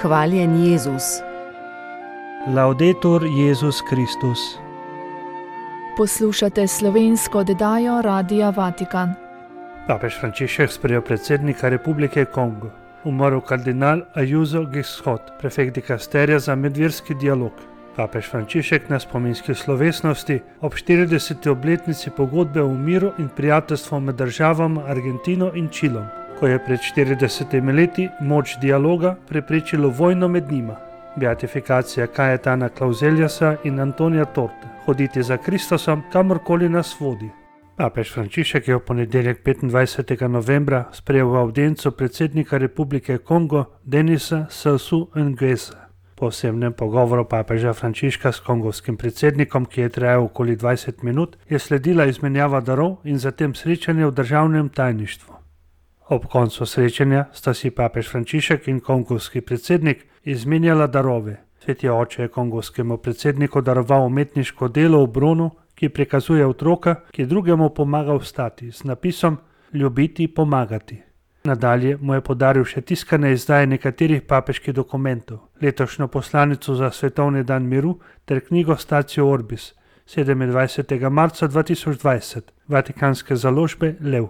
Hvaljen Jezus. Laudetur Jezus Kristus. Poslušate slovensko oddajo Radia Vatikan. Papež Frančišek sprejel predsednika Republike Kongo. Umrl kardinal Ayuso Giscot, prefekt dikasterija za medverski dialog. Papež Frančišek na spominski slovesnosti ob 40. obletnici pogodbe o miru in prijateljstvu med državama Argentino in Čilom, ko je pred 40 leti moč dialoga preprečilo vojno med njima. Beatifikacija Kajetana Klauzeljasa in Antonija Torta, hoditi za Kristusom, kamorkoli nas vodi. Papež Frančišek je v ponedeljek 25. novembra sprejel v avdienco predsednika Republike Kongo Denisa Sassou Nguessa. Po osebnem pogovoru papeža Frančiška s kongovskim predsednikom, ki je trajal okoli 20 minut, je sledila izmenjava darov in zatem srečanje v državnem tajništvu. Ob koncu srečanja sta si papež Frančišek in kongovski predsednik izmenjala darove. Sveti oče je kongovskemu predsedniku daroval umetniško delo v bronu, ki prikazuje otroka, ki drugemu pomaga vstati, z napisom Ljubiti, pomagati. Nadalje mu je podaril še tiskane izdaje nekaterih papeških dokumentov, letošnjo poslanico za svetovni dan miru ter knjigo Statio Orbis, 27. marca 2020, vatikanske založbe Lev.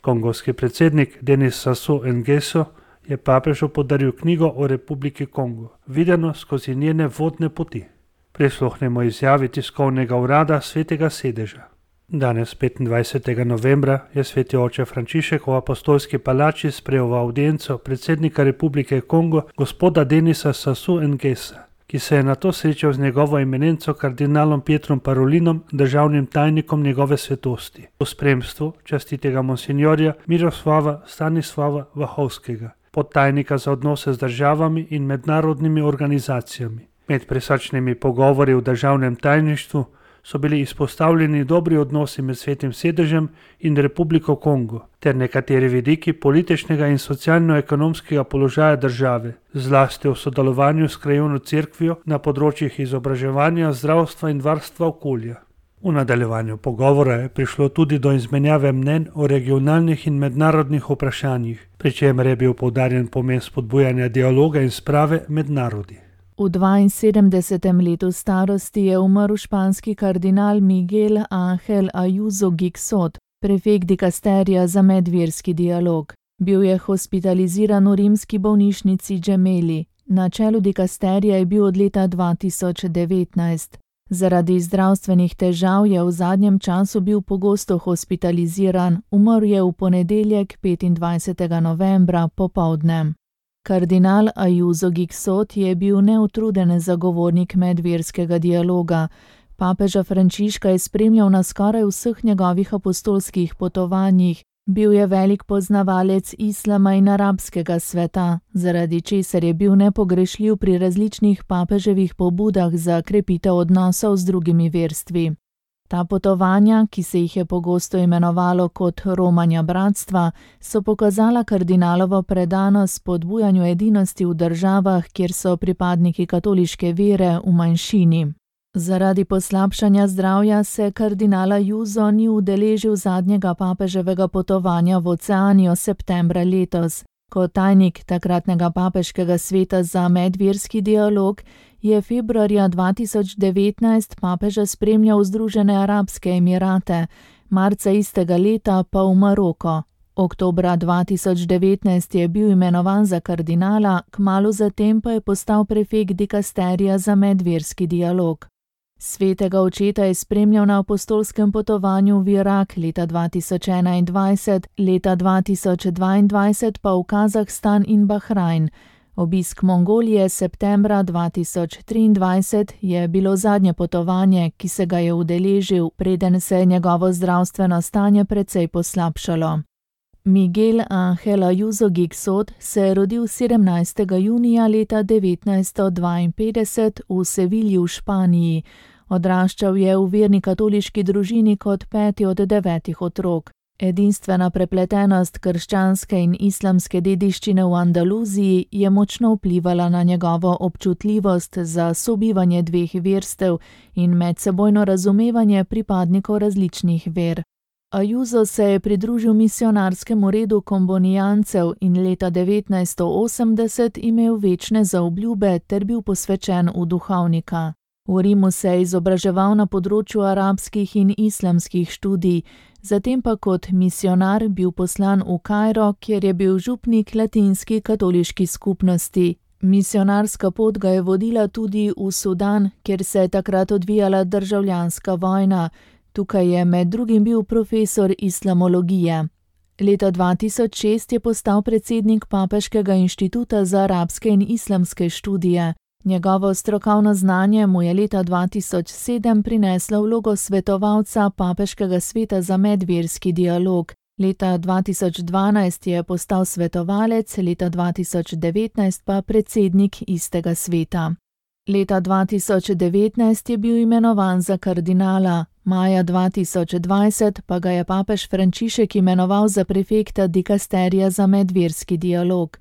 Kongovski predsednik Denis Sassou Nguesso je papežu podaril knjigo o Republiki Kongo, videno skozi njene vodne poti. Prisluhnemo izjavi tiskovnega urada Svetega sedeža. Danes, 25. novembra, je sveti oče Frančišek v apostolski palači sprejel v avdienco predsednika Republike Kongo gospoda Denisa Sassou Nguessa, ki se je nato srečal z njegovo eminenco kardinalom Pietrom Parolinom, državnim tajnikom njegove svetosti, v spremstvu častitega monsinjorja Miroslava Stanislava Vahovskega, podtajnika za odnose z državami in mednarodnimi organizacijami. Med prisrčnimi pogovori v državnem tajništvu so bili izpostavljeni dobri odnosi med Svetim sedežem in Republiko Kongo ter nekateri vidiki političnega in socialno-ekonomskega položaja države, zlasti v sodelovanju s krajevno cerkvijo na področjih izobraževanja, zdravstva in varstva okolja. V nadaljevanju pogovora je prišlo tudi do izmenjave mnenj o regionalnih in mednarodnih vprašanjih, pri čemer je bil poudarjen pomen spodbujanja dialoga in sprave med narodi. V 72. letu starosti je umrl španski kardinal Miguel Ángel Ayuso Giscot, prefekt dikasterija za medverski dialog. Bil je hospitaliziran v rimski bolnišnici Gemelli. Na čelu dikasterija je bil od leta 2019. Zaradi zdravstvenih težav je v zadnjem času bil pogosto hospitaliziran, umrl je v ponedeljek 25. novembra popoldne. Kardinal Ayuso Giscot je bil neutruden zagovornik medverskega dialoga. Papeža Frančiška je spremljal na skoraj vseh njegovih apostolskih potovanjih. Bil je velik poznavalec islama in arabskega sveta, zaradi česar je bil nepogrešljiv pri različnih papeževih pobudah za krepitev odnosov z drugimi verstvi. Ta potovanja, ki se jih je pogosto imenovalo kot romanja bratstva, so pokazala kardinalovo predanost spodbujanju edinosti v državah, kjer so pripadniki katoliške vere v manjšini. Zaradi poslabšanja zdravja se kardinal Ayuso ni udeležil zadnjega papeževega potovanja v Oceanijo septembra letos. Kot tajnik takratnega papeškega sveta za medverski dialog je februarja 2019 papeža spremljal v Združene arabske emirate, marca istega leta pa v Maroko. Oktobra 2019 je bil imenovan za kardinala, kmalu zatem pa je postal prefekt dikasterija za medverski dialog. Svetega očeta je spremljal na apostolskem potovanju v Irak leta 2021, leta 2022 pa v Kazahstan in Bahrajn. Obisk Mongolije septembra 2023 je bilo zadnje potovanje, ki se ga je udeležil, preden se je njegovo zdravstveno stanje precej poslabšalo. Miguel Ángel Ayuso Giscot se je rodil 17. junija leta 1952 v Sevilji v Španiji. Odraščal je v verni katoliški družini kot 5. od 9 otrok. Edinstvena prepletenost krščanske in islamske dediščine v Andaluziji je močno vplivala na njegovo občutljivost za sobivanje dveh verstev in medsebojno razumevanje pripadnikov različnih ver. Ajuso se je pridružil misionarskemu redu kombonijancev in leta 1980 imel večne zaobljube ter bil posvečen v duhovnika. V Rimu se je izobraževal na področju arabskih in islamskih študij, zatem pa kot misionar bil poslan v Kairo, kjer je bil župnik latinski katoliški skupnosti. Misionarska pot ga je vodila tudi v Sudan, kjer se je takrat odvijala državljanska vojna. Tukaj je med drugim bil profesor islamologije. Leta 2006 je postal predsednik Papeškega inštituta za arabske in islamske študije. Njegovo strokovno znanje mu je leta 2007 prineslo vlogo svetovalca Papeškega sveta za medverski dialog. Leta 2012 je postal svetovalec, leta 2019 pa predsednik istega sveta. Leta 2019 je bil imenovan za kardinala, maja 2020 pa ga je papež Frančišek imenoval za prefekta dikasterija za medverski dialog.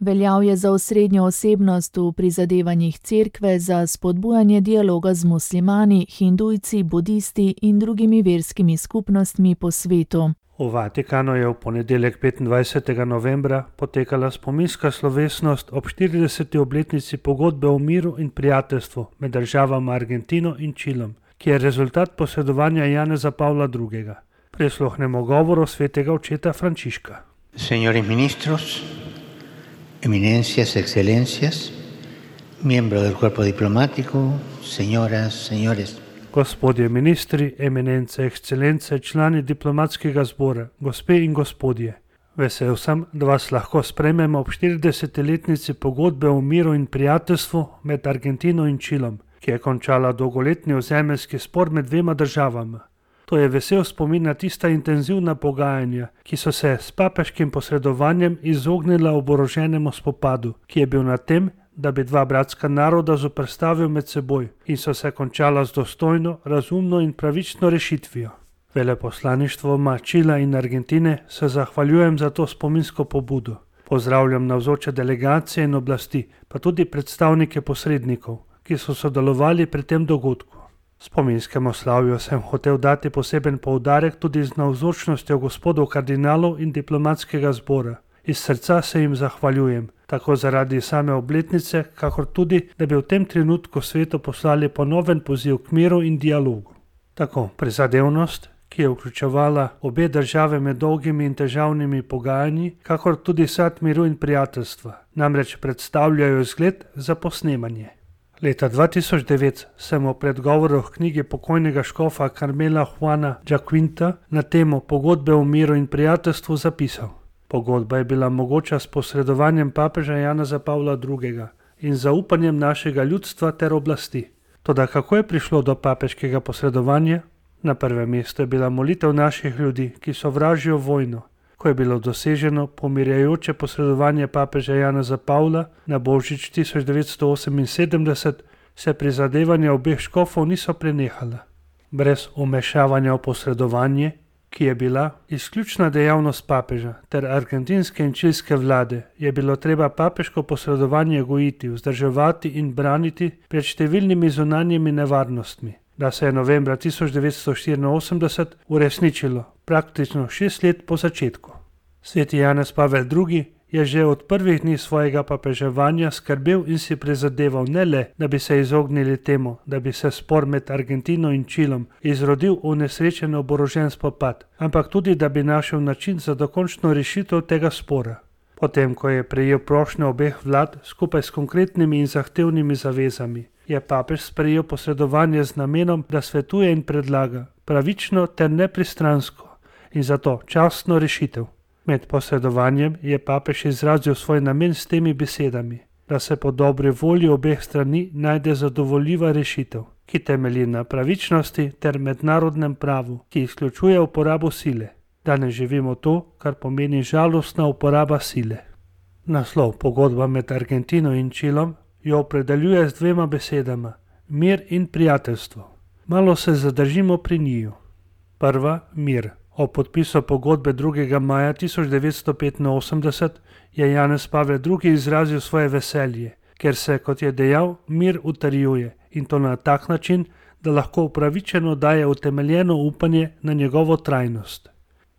Veljal je za osrednjo osebnost v prizadevanjih cerkve za spodbujanje dialoga z muslimani, hindujci, budisti in drugimi verskimi skupnostmi po svetu. V Vatikanu je v ponedeljek 25. novembra potekala spominska slovesnost ob 40. obletnici pogodbe o miru in prijateljstvu med državama Argentino in Čilom, ki je rezultat posredovanja Janeza Pavla II. Prisluhnemo govoru svetega očeta Frančiška. Señores ministros, eminencias, excelencias, miembros del cuerpo diplomático, señoras, señores. Gospodje ministri, eminence, ekscelence, člani diplomatskega zbora, gospe in gospodje. Vesel sem, da vas lahko sprejmemo ob 40-letnici pogodbe o miru in prijateljstvu med Argentino in Čilom, ki je končala dolgoletni ozemeljski spor med dvema državama. To je vesel spomin na tista intenzivna pogajanja, ki so se s papeškim posredovanjem izognila oboroženemu spopadu, ki je bil na tem, da bi dva bratska naroda zoperstavil med seboj in so se končala z dostojno, razumno in pravično rešitvijo. Veleposlaništvoma Čila in Argentine se zahvaljujem za to spominsko pobudo. Pozdravljam navzoče delegacije in oblasti, pa tudi predstavnike posrednikov, ki so sodelovali pri tem dogodku. Spominskemu slavju sem hotel dati poseben poudarek tudi z navzočnostjo gospodov kardinalov in diplomatskega zbora. Iz srca se jim zahvaljujem, tako zaradi same obletnice, kakor tudi, da bi v tem trenutku svetu poslali ponoven poziv k miru in dialogu. Tako prizadevnost, ki je vključevala obe države med dolgimi in težavnimi pogajanji, kakor tudi sad miru in prijateljstva, namreč predstavljajo zgled za posnemanje. Leta 2009 sem v predgovoru k knjigi pokojnega škofa Carmela Juana Jaquinta na temo pogodbe o miru in prijateljstvu zapisal. Pogodba je bila mogoča s posredovanjem papeža Janeza Pavla II. In zaupanjem našega ljudstva ter oblasti. Toda kako je prišlo do papeškega posredovanja? Na prvem mestu je bila molitev naših ljudi, ki sovražijo vojno. Ko je bilo doseženo pomirjajoče posredovanje papeža Janeza Pavla na Božič 1978, se prizadevanja obeh škofov niso prenehala. Brez vmešavanja v posredovanje, ki je bila izključna dejavnost papeža ter argentinske in čilske vlade, je bilo treba papeško posredovanje gojiti, vzdrževati in braniti pred številnimi zunanjimi nevarnostmi, da se je novembra 1984 uresničilo praktično 6 let po začetku. Sveti Janez Pavel II. Je že od prvih dni svojega papeževanja skrbel in si prizadeval ne le, da bi se izognili temu, da bi se spor med Argentino in Čilom izrodil v nesrečen oborožen spopad, ampak tudi, da bi našel način za dokončno rešitev tega spora. Potem, ko je prejel prošnjo obeh vlad skupaj s konkretnimi in zahtevnimi zavezami, je papež sprejel posredovanje z namenom, da svetuje in predlaga pravično ter nepristransko in zato častno rešitev. Med posredovanjem je papež izrazil svoj namen s temi besedami, da se po dobri volji obeh strani najde zadovoljiva rešitev, ki temelji na pravičnosti ter mednarodnem pravu, ki izključuje uporabo sile. Danes živimo to, kar pomeni žalostna uporaba sile. Naslov pogodba med Argentino in Čilom jo opredeljuje z dvema besedama: mir in prijateljstvo. Malo se zadržimo pri njiju. Prva, mir. O podpisu pogodbe 2. maja 1985 je Janez Pavel II. Izrazil svoje veselje, ker se, kot je dejal, mir utrjuje in to na tak način, da lahko upravičeno daje utemeljeno upanje na njegovo trajnost.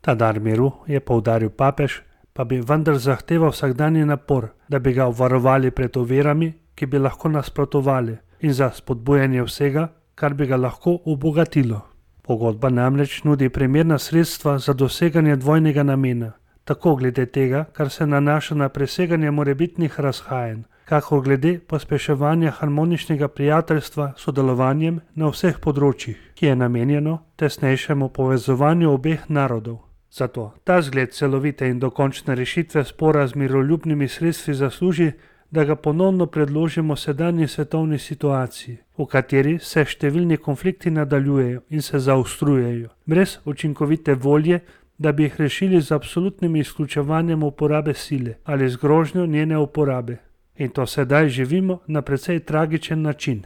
Ta dar miru, je poudaril papež, pa bi vendar zahteval vsakdanji napor, da bi ga obvarovali pred ovirami, ki bi lahko nasprotovali, in za spodbujanje vsega, kar bi ga lahko obogatilo. Pogodba namreč nudi primerna sredstva za doseganje dvojnega namena, tako glede tega, kar se nanaša na preseganje morebitnih razhajanj, kakor glede pospeševanja harmoničnega prijateljstva s sodelovanjem na vseh področjih, ki je namenjeno tesnejšemu povezovanju obeh narodov. Zato ta zgled celovite in dokončne rešitve spora z miroljubnimi sredstvi zasluži, da ga ponovno predložimo sedanji svetovni situaciji, v kateri se številni konflikti nadaljujejo in se zaostrujejo, brez učinkovite volje, da bi jih rešili z absolutnim izključevanjem uporabe sile ali z grožnjo njene uporabe. In to sedaj živimo na precej tragičen način.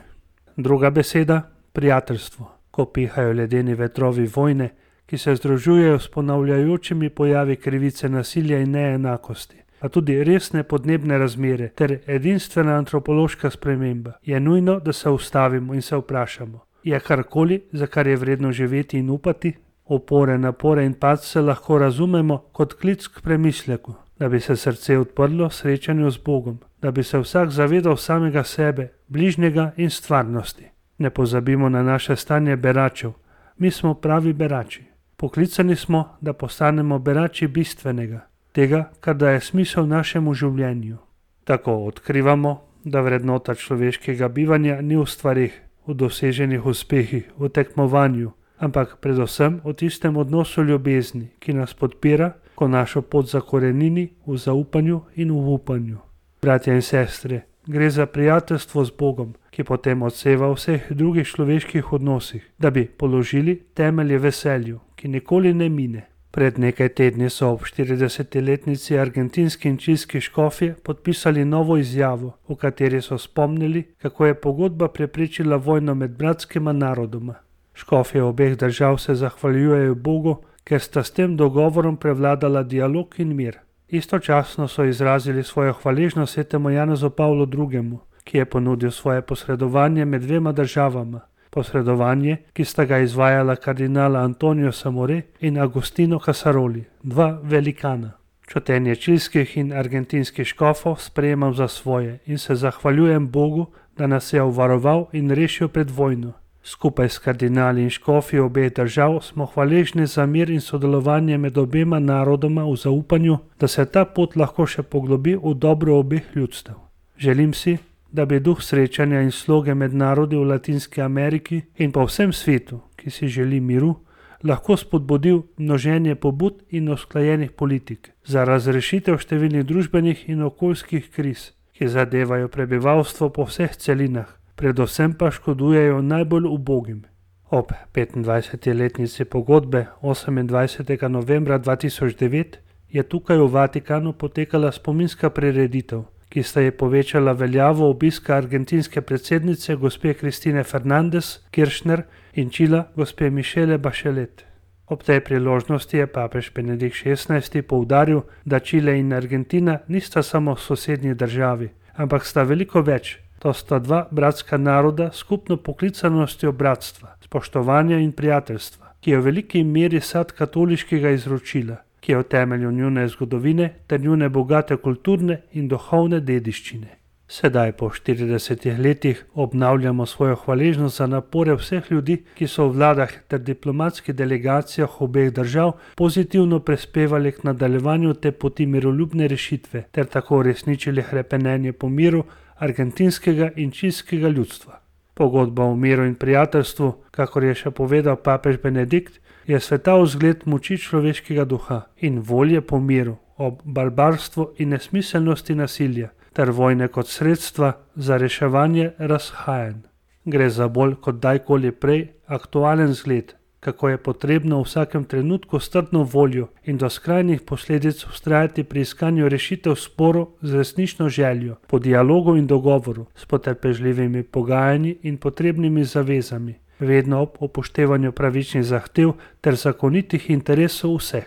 Druga beseda, prijateljstvo. Ko pihajo ledeni vetrovi vojne, ki se združujejo s ponavljajočimi pojavi krivice, nasilja in neenakosti, a tudi resne podnebne razmere ter edinstvena antropološka sprememba, je nujno, da se ustavimo in se vprašamo, je karkoli, za kar je vredno živeti in upati? Opore, napore in padce lahko razumemo kot klic k premisleku, da bi se srce odprlo srečanju z Bogom, da bi se vsak zavedal samega sebe, bližnjega in stvarnosti. Ne pozabimo na naše stanje beračev. Mi smo pravi berači. Poklicani smo, da postanemo berači bistvenega, tega, kar daje smisel našemu življenju. Tako odkrivamo, da vrednota človeškega bivanja ni v stvarih, v doseženih uspehih, v tekmovanju, ampak predvsem v tistem odnosu ljubezni, ki nas podpira, ko našo pot zakorenini v zaupanju in v upanju. Bratje in sestre, gre za prijateljstvo z Bogom, ki potem odseva v vseh drugih človeških odnosih, da bi položili temelje veselju, ki nikoli ne mine. Pred nekaj tedni so ob 40-letnici argentinski in čilski škofje podpisali novo izjavo, v kateri so spomnili, kako je pogodba preprečila vojno med bratskima narodoma. Škofje obeh držav se zahvaljujejo Bogu, ker sta s tem dogovorom prevladala dialog in mir. Istočasno so izrazili svojo hvaležnost svetemu Janezu Pavlu II., ki je ponudil svoje posredovanje med dvema državama. Posredovanje, ki sta ga izvajala kardinala Antonio Samore in Agostino Casaroli, dva velikana. Čutenje čilskih in argentinskih škofov sprejemam za svoje in se zahvaljujem Bogu, da nas je obvaroval in rešil pred vojno. Skupaj s kardinali in škofi obeh držav smo hvaležni za mir in sodelovanje med obema narodoma v zaupanju, da se ta pot lahko še poglobi v dobro obeh ljudstev. Želim si, da bi duh srečanja in sloge med narodi v Latinski Ameriki in po vsem svetu, ki si želi miru, lahko spodbudil množenje pobud in usklajenih politik za razrešitev številnih družbenih in okoljskih kriz, ki zadevajo prebivalstvo po vseh celinah, predvsem pa škodujejo najbolj ubogim. Ob 25-letnici pogodbe 28. novembra 2009 je tukaj v Vatikanu potekala spominska prireditev, ki sta je povečala veljavo obiska argentinske predsednice gospe Kristine Fernández Kirchner in Čila gospe Michelle Bachelet. Ob tej priložnosti je papež Benedikt XVI poudaril, da Čile in Argentina nista samo sosednji državi, ampak sta veliko več. To sta dva bratska naroda s skupno poklicanostjo bratstva, spoštovanja in prijateljstva, ki je v veliki meri sad katoliškega izročila, ki je v temelju njune zgodovine ter njune bogate kulturne in duhovne dediščine. Sedaj po 40 letih obnavljamo svojo hvaležnost za napore vseh ljudi, ki so v vladah ter diplomatskih delegacijah obeh držav pozitivno prispevali k nadaljevanju te poti miroljubne rešitve ter tako uresničili hrepenenje po miru argentinskega in čilskega ljudstva. Pogodba o miru in prijateljstvu, kakor je še povedal papež Benedikt, je svetav zgled moči človeškega duha in volje po miru ob barbarstvu in nesmiselnosti nasilja ter vojne kot sredstva za reševanje razhajanj. Gre za bolj kot dajkoli prej aktualen zgled, kako je potrebno v vsakem trenutku s trdno voljo in do skrajnih posledic vztrajati pri iskanju rešitev sporov z resnično željo, po dialogu in dogovoru, s potrpežljivimi pogajanji in potrebnimi zavezami, vedno ob upoštevanju pravičnih zahtev ter zakonitih interesov vseh.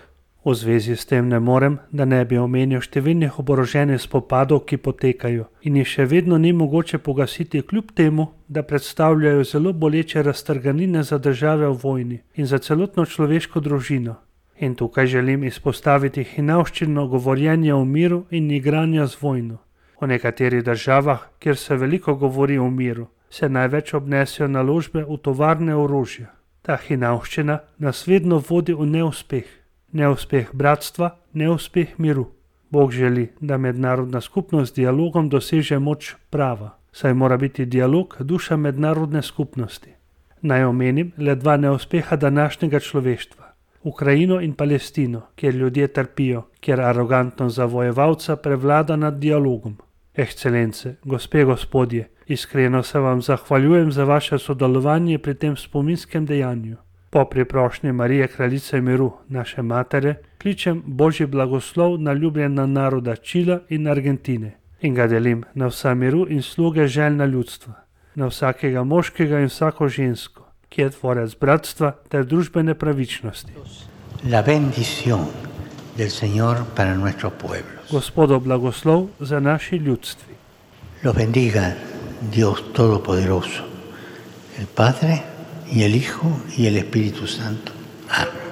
V zvezi s tem ne morem, da ne bi omenil številnih oboroženih spopadov, ki potekajo in jih še vedno ni mogoče pogasiti, kljub temu, da predstavljajo zelo boleče raztrganine za države v vojni in za celotno človeško družino. In tukaj želim izpostaviti hinavščino govorjenja o miru in igranja z vojno. V nekaterih državah, kjer se veliko govori o miru, se največ obnesijo naložbe v tovarne orožja. Ta hinavščina nas vedno vodi v neuspeh. Neuspeh bratstva, neuspeh miru. Bog želi, da mednarodna skupnost z dialogom doseže moč prava, saj mora biti dialog duša mednarodne skupnosti. Naj omenim le dva neuspeha današnjega človeštva. Ukrajino in Palestino, kjer ljudje trpijo, kjer arogantnost zavojevalca prevlada nad dialogom. Ekscelence, gospe, gospodje, iskreno se vam zahvaljujem za vaše sodelovanje pri tem spominskem dejanju. Po priprošnji Marije, kraljice miru, naše matere, kličem Božji blagoslov na ljubljena naroda Čila in Argentine in ga delim na vsa miru in sluge željna ljudstva, na vsakega moškega in vsako žensko, ki je tvorec bratstva ter družbene pravičnosti. La bendición del Señor para nuestros pueblos. Gospodov blagoslov za naši ljudstvi. Los bendiga Dios Todopoderoso, el Padre y el Hijo y el Espíritu Santo. Amén.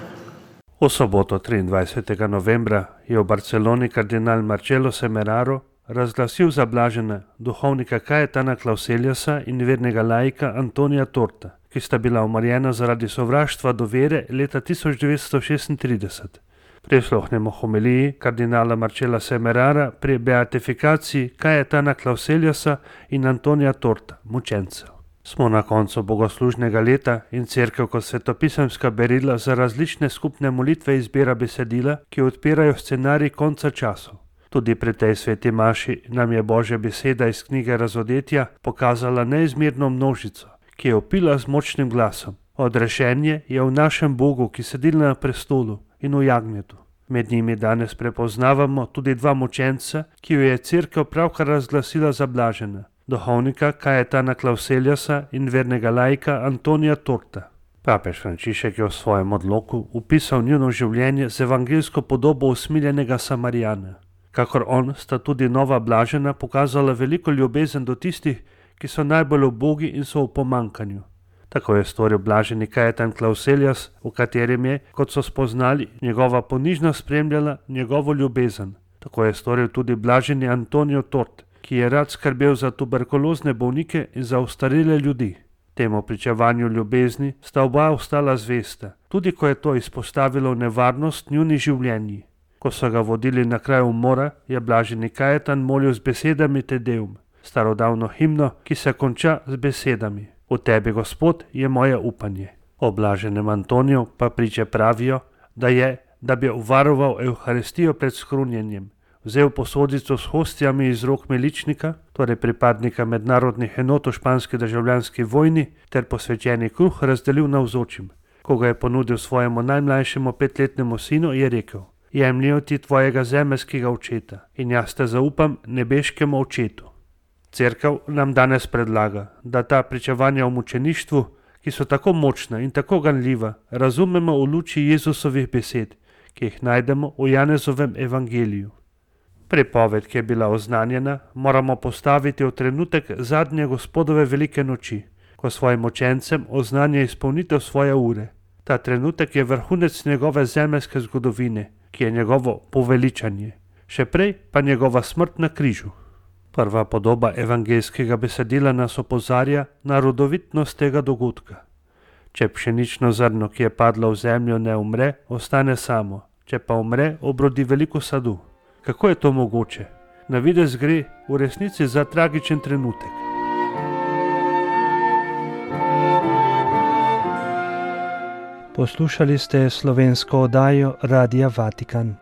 V soboto 23. novembra je v Barceloni kardinal Marcelo Semeraro razglasil za blažena duhovnika Cayetana Clauseliusa in vernega laika Antonija Torta, ki sta bila umorjena zaradi sovraštva do vere leta 1936. Prisluhnemo homiliji kardinala Marcela Semerara pri beatifikaciji Cayetana Clauseliusa in Antonija Torta, mučencev. Smo na koncu bogoslužnega leta in cerkev kot svetopisemska berila za različne skupne molitve izbira besedila, ki odpirajo scenarij konca časov. Tudi pri tej sveti maši nam je Božja beseda iz knjige Razodetja pokazala neizmerno množico, ki je vpila z močnim glasom. Odrešenje je v našem Bogu, ki sedi na prestolu in v jagnjetu. Med njimi danes prepoznavamo tudi dva mučenca, ki jo je cerkev pravkar razglasila za blažena. Duhovnika Cayetana Clauseliusa in vernega laika Antonija Torta. Papež Frančišek je v svojem odloku upisal njuno življenje z evangeljsko podobo usmiljenega Samarijana. Kakor on sta tudi nova blažena pokazala veliko ljubezen do tistih, ki so najbolj ubogi in so v pomankanju. Tako je storil blaženi Cayetan Clauselius, v katerem je, kot so spoznali, njegova ponižnost spremljala njegovo ljubezen. Tako je storil tudi blaženi Antonijo Tort, ki je rad skrbel za tuberkulozne bolnike in za ostarele ljudi. Temu pričevanju ljubezni sta oba ostala zvesta, tudi ko je to izpostavilo nevarnost njuni življenji. Ko so ga vodili na kraj umora, je blaženi Cayetan molil z besedami Te Deum, starodavno himno, ki se konča z besedami: V tebi, Gospod, je moje upanje. O blaženem Antoniju pa priče pravijo, da bi varoval Evharistijo pred skrunjenjem, vzel posodico s hostjami iz rok miličnika, torej pripadnika mednarodnih enot v španski državljanski vojni, ter posvečeni kruh razdelil navzočim. Ko ga je ponudil svojemu najmlajšemu 5-letnemu sinu, je rekel: Jemljijo ti tvojega zemeljskega očeta in jaz te zaupam nebeškemu očetu. Cerkev nam danes predlaga, da ta pričevanja o mučeništvu, ki so tako močna in tako ganljiva, razumemo v luči Jezusovih besed, ki jih najdemo v Janezovem evangeliju. Pripoved, ki je bila oznanjena, moramo postaviti v trenutek zadnje Gospodove velike noči, ko svojim učencem oznanja izpolnitev svoje ure. Ta trenutek je vrhunec njegove zemeljske zgodovine, ki je njegovo poveličanje, še prej pa njegova smrt na križu. Prva podoba evangeljskega besedila nas opozarja na rodovitnost tega dogodka. Če pšenično zrno, ki je padlo v zemljo, ne umre, ostane samo, če pa umre, obrodi veliko sadu. Kako je to mogoče? Na videz gre v resnici za tragičen trenutek. Poslušali ste slovensko oddajo Radia Vatikan.